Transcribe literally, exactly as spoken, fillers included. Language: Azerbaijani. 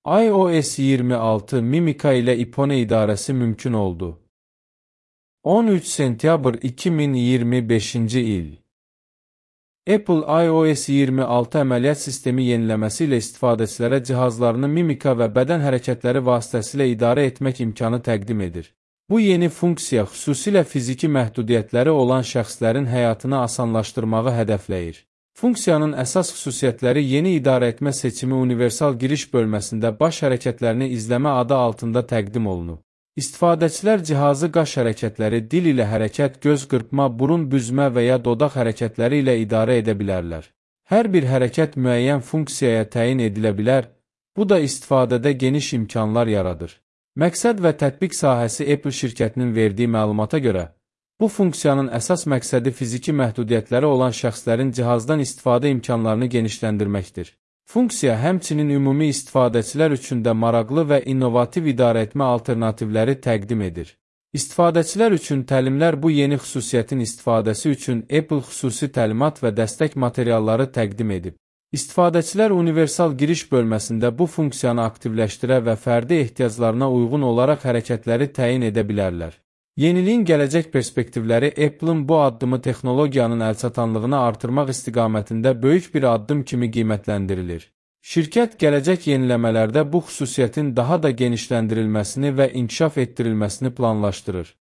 iOS iyirmi altı Mimica ile ipone idarəsi mümkün oldu. on üç sentyabr iki min iyirmi beşinci il. Apple iOS iyirmi altı əməliyyat sistemi yeniləməsi ilə istifadəçilərə cihazlarını mimika və bədən hərəkətləri vasitəsilə idarə etmək imkanı təqdim edir. Bu yeni funksiya xüsusilə fiziki məhdudiyyətləri olan şəxslərin həyatını asanlaşdırmağı hədəfləyir. Funksiyanın əsas xüsusiyyətləri yeni idarəetmə seçimi universal giriş bölməsində baş hərəkətlərini izləmə adı altında təqdim olunub. İstifadəçilər cihazı qaş hərəkətləri, dil ilə hərəkət, göz qırpma, burun büzmə və ya dodaq hərəkətləri ilə idarə edə bilərlər. Hər bir hərəkət müəyyən funksiyaya təyin edilə bilər, bu da istifadədə geniş imkanlar yaradır. Məqsəd və tətbiq sahəsi Apple şirkətinin verdiyi məlumata görə, bu funksiyanın əsas məqsədi fiziki məhdudiyyətləri olan şəxslərin cihazdan istifadə imkanlarını genişləndirməkdir. Funksiya həmçinin ümumi istifadəçilər üçün də maraqlı və innovativ idarəetmə alternativləri təqdim edir. İstifadəçilər üçün təlimlər bu yeni xüsusiyyətin istifadəsi üçün Apple xüsusi təlimat və dəstək materialları təqdim edib. İstifadəçilər universal giriş bölməsində bu funksiyanı aktivləşdirə və fərdi ehtiyaclarına uyğun olaraq hərəkətləri təyin edə bilərlər. Yeniliyin gələcək perspektivləri Apple'ın bu addımı texnologiyanın əlçatanlığını artırmaq istiqamətində böyük bir addım kimi qiymətləndirilir. Şirkət gələcək yeniləmələrdə bu xüsusiyyətin daha da genişləndirilməsini və inkişaf etdirilməsini planlaşdırır.